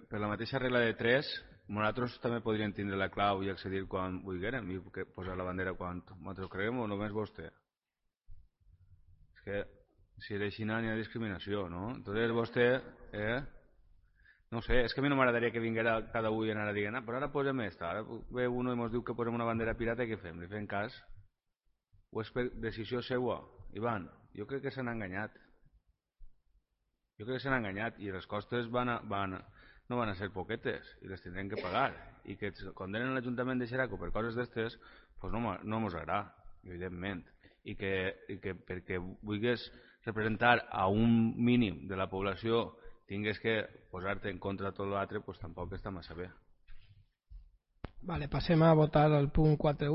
per la mateixa regla de 3, nosaltres també podríem tindre la clau i accedir quan vulguérem i posar la bandera quan nosaltres creguem o només vostè. És que si era així no hi ha discriminació, no? Entonces vostè... No sé, és que a mi no m'agradaria que vinguera cada un i anara dient però ara posem esta, ara ve uno i ens diu que posem una bandera pirata i què fem? Li fem cas? O és per decisió seua? Ivan, jo crec que s'han enganyat. Jo crec que s'han enganyat i les costes no van a ser poquetes i les tindrem que pagar i que condenen l'Ajuntament de Xeraco per coses d'estes pues no mos agrada, evidentment i que perquè vulguis representar a un mínim de la població tingues que posar-te en contra de tot l'altre, pues tampoc està massa bé. Vale, passem a votar el punt 4.1.